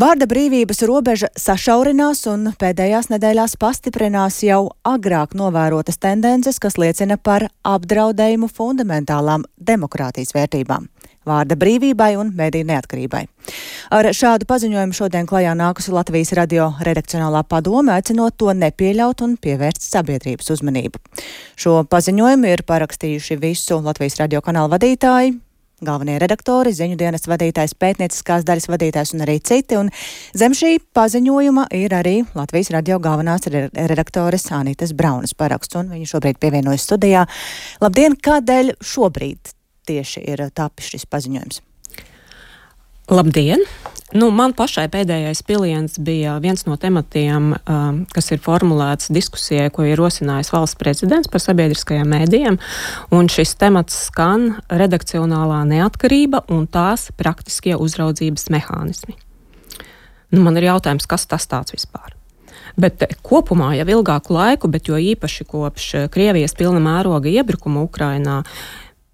Vārda brīvības robeža sašaurinās un pēdējās nedēļās pastiprinās jau agrāk novērotas tendences, kas liecina par apdraudējumu fundamentālām demokrātijas vērtībām - vārda brīvībai un mediju neatkarībai. Ar šādu paziņojumu šodien klajā nākusi Latvijas radio redakcionālā padome, aicinot to nepieļaut un pievērst sabiedrības uzmanību. Šo paziņojumu ir parakstījuši visu Latvijas radio kanālu vadītāji, galvenie redaktori, ziņu dienesta vadītājs, pētnieciskās daļas vadītājs un arī citi, un zem šī paziņojuma ir arī Latvijas radio galvenās redaktores Anitas Braunas paraksts, un viņa šobrīd pievienojas studijā. Labdien, kādēļ šobrīd tieši ir tapis šis paziņojums? Labdien! Man pašai pēdējais piliens bija viens no tematiem, kas ir formulēts diskusijai, ko ir rosinājis valsts prezidents par sabiedriskajiem mēdījiem, un šis temats skan redakcionālā neatkarība un tās praktiskie uzraudzības mehānismi. Man ir jautājums, kas tas tāds vispār? Bet kopumā jau ilgāku laiku, bet jo īpaši kopš Krievijas pilna mēroga iebrukuma Ukrainā,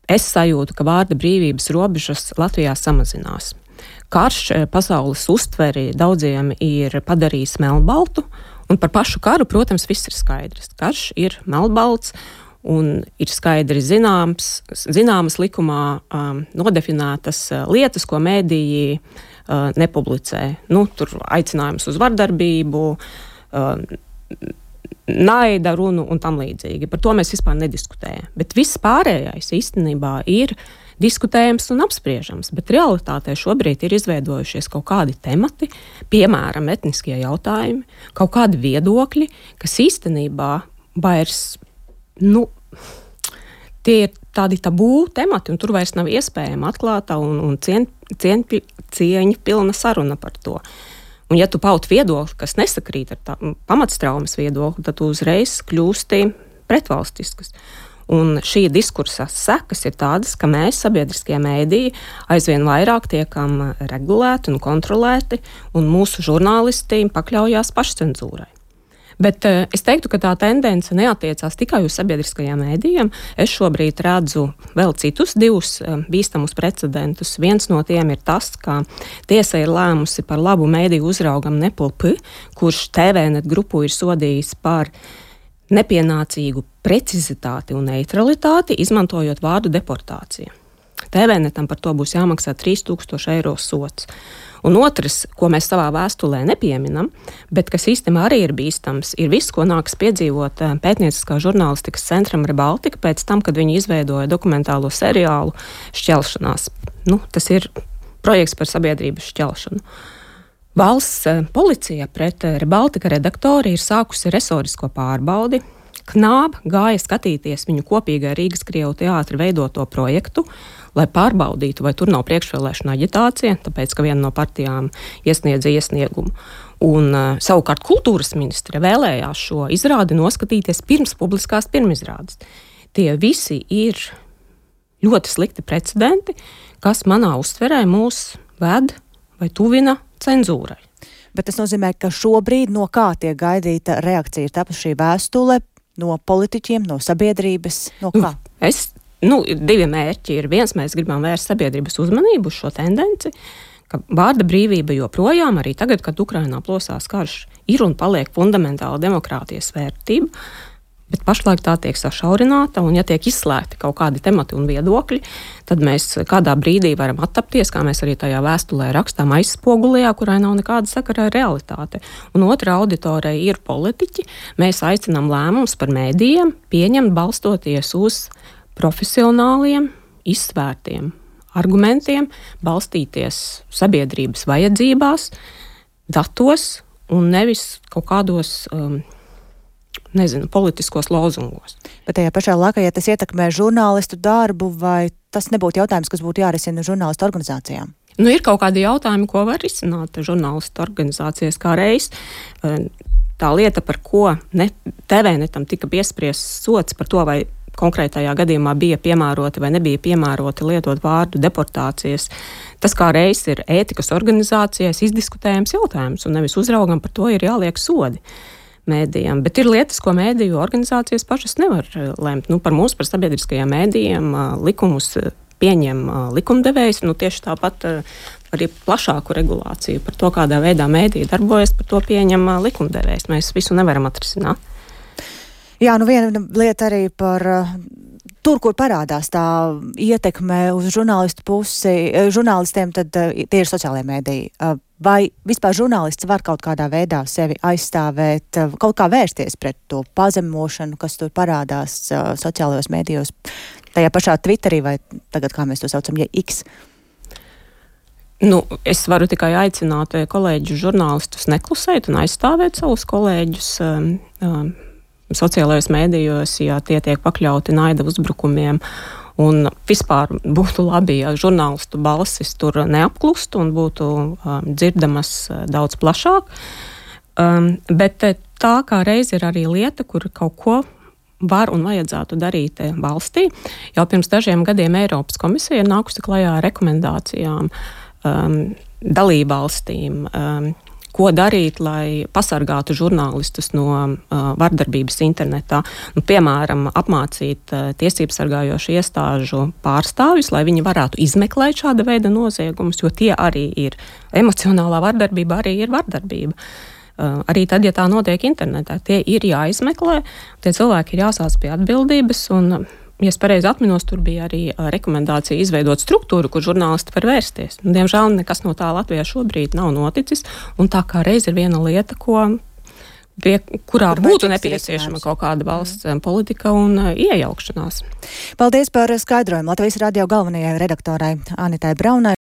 es sajūtu, ka vārda brīvības robežas Latvijā samazinās. Karš pasaules uztveri daudziem ir padarījis melnbaltu, un par pašu karu, protams, viss ir skaidrs. Karš ir melnbalts un ir skaidri zināmas likumā nodefinētas lietas, ko mēdīji nepublicē. Tur aicinājums uz vardarbību, naida runu un tam līdzīgi. Par to mēs vispār nediskutējam. Bet viss pārējais īstenībā ir diskutējams un apspriežams, bet realitātē šobrīd ir izveidojušies kaut kādi temati, piemēram, etniskie jautājumi, kaut kādi viedokļi, kas īstenībā vairs, tie ir tādi tabū temati, un tur vairs nav iespējama atklāta un cieņa pilna saruna par to. Un ja tu paut viedokli, kas nesakrīt ar pamatstraumas viedokli, tad tu uzreiz kļūsti pretvalstiskas. Un šī diskursa sekas ir tādas, ka mēs, sabiedriskie mēdīji, aizvien vairāk tiekam regulēti un kontrolēti, un mūsu žurnālisti pakļaujās pašcenzūrai. Bet es teiktu, ka tā tendence neatiecās tikai uz sabiedriskajiem mēdījiem. Es šobrīd redzu vēl citus divus bīstamus precedentus. Viens no tiem ir tas, ka tiesa ir lēmusi par labu mēdīju uzraugam Nepal P, kurš TVNet grupu ir sodījis par nepienācīgu precizitāti un neutralitāti, izmantojot vārdu deportācija. TVNetam par to būs jāmaksā 3000 eiro sods. Un otrs, ko mēs savā vēstulē nepieminam, bet kas īstenībā arī ir bīstams, ir viss, ko nāks piedzīvot pētnieciskā žurnālistikas centram Rebaltika pēc tam, kad viņi izveidoja dokumentālo seriālu Šķelšanās. Tas ir projekts par sabiedrības šķelšanu. Valsts policija pret Rebaltika redaktori ir sākusi resorisko pārbaudi. Knāb gāja skatīties viņu kopīgai Rīgas Krievu teātra veidoto projektu, lai pārbaudītu, vai tur nav priekšvēlēšana aģitācija, tāpēc, ka viena no partijām iesniedza iesniegumu. Un savukārt kultūras ministre vēlējās šo izrādi noskatīties pirms publiskās pirmizrādes. Tie visi ir ļoti slikti precedenti, kas manā uztverē mūs ved vai tuvina cenzūrai. Bet tas nozīmē, ka šobrīd no kā tiek gaidīta reakcija ir tapusi šī vēstule no politiķiem, no sabiedrības, no kā? Ir divi mērķi. Viens, mēs gribam vērst sabiedrības uzmanību uz šo tendenci, ka vārda brīvība joprojām, arī tagad, kad Ukrainā plosās karš, ir un paliek fundamentāla demokrātijas vērtība, bet pašlaik tā tiek sašaurināta, un ja tiek izslēgti kaut kādi temati un viedokļi, tad mēs kādā brīdī varam attapties, kā mēs arī tajā vēstulē rakstām, aizspogulijā, kurai nav nekāda sakara ar realitāti. Un otra auditorija ir politiķi. Mēs aicinām lēmumus par mēdījiem pieņemt balstoties uz profesionāliem, izsvērtiem argumentiem, balstīties sabiedrības vajadzībās, datos un nevis kaut kādos politiskos lozungos. Bet tajā pašā laikā, ja tas ietekmē žurnālistu darbu, vai tas nebūtu jautājums, kas būtu jārisina žurnālistu organizācijām? Ir kaut kādi jautājumi, ko var risināt žurnālistu organizācijas kā reiz. Tā lieta, par ko TVNetam tika piespriests sods par to, vai konkrētajā gadījumā bija piemēroti vai nebija piemēroti lietot vārdu deportācijas. Tas kā reiz ir ētikas organizācijas izdiskutējams jautājums, un nevis uzraugam par to ir jāliek sodi mēdījiem. Bet ir lietas, ko mēdīju organizācijas pašas nevar lemt. Par mums, par sabiedriskajiem mēdījiem, likumus pieņem likumdevējs. Tieši tāpat arī plašāku regulāciju par to, kādā veidā mēdī darbojas, par to pieņem likumdevējs. Mēs visu nevaram atrisināt. Jā, viena lieta arī par tur, kur parādās tā ietekme uz žurnālistiem, tad tie ir sociālajie mēdīji. Vai vispār žurnālists var kaut kādā veidā sevi aizstāvēt, kaut kā vērsties pret to pazemošanu, kas tur parādās sociālajos mēdījos, tajā pašā Twitterī vai tagad, kā mēs to saucam, X? Es varu tikai aicināt kolēģus žurnālistus neklusēt un aizstāvēt savus kolēģus sociālajos mēdījos, ja tie tiek pakļauti naida uzbrukumiem. Un vispār būtu labi, ja žurnālistu balsis tur neapklustu un būtu dzirdamas daudz plašāk. Bet tā kā reiz ir arī lieta, kur kaut ko var un vajadzētu darīt valstī. Jau pirms dažiem gadiem Eiropas komisija ir nākusi klajā ar rekomendācijām dalībvalstīm, ko darīt, lai pasargātu žurnālistus no vardarbības internetā. Piemēram, apmācīt tiesību sargājošu iestāžu pārstāvjus, lai viņi varētu izmeklēt šāda veida noziegumus, jo tie arī ir. Emocionālā vardarbība arī ir vardarbība. Arī tad, ja tā notiek internetā, tie ir jāizmeklē, tie cilvēki ir jāsāc pie atbildības, un, ja es pareizi atminos, tur bija arī rekomendācija izveidot struktūru, kur žurnālisti var vērsties. Diemžēl nekas no tā Latvijā šobrīd nav noticis, un tā kā reiz ir viena lieta, kurā būtu nepieciešama kaut kāda valsts politika un iejaukšanās. Paldies par skaidrojumu Latvijas radio galvenajai redaktorai Anitai Braunai.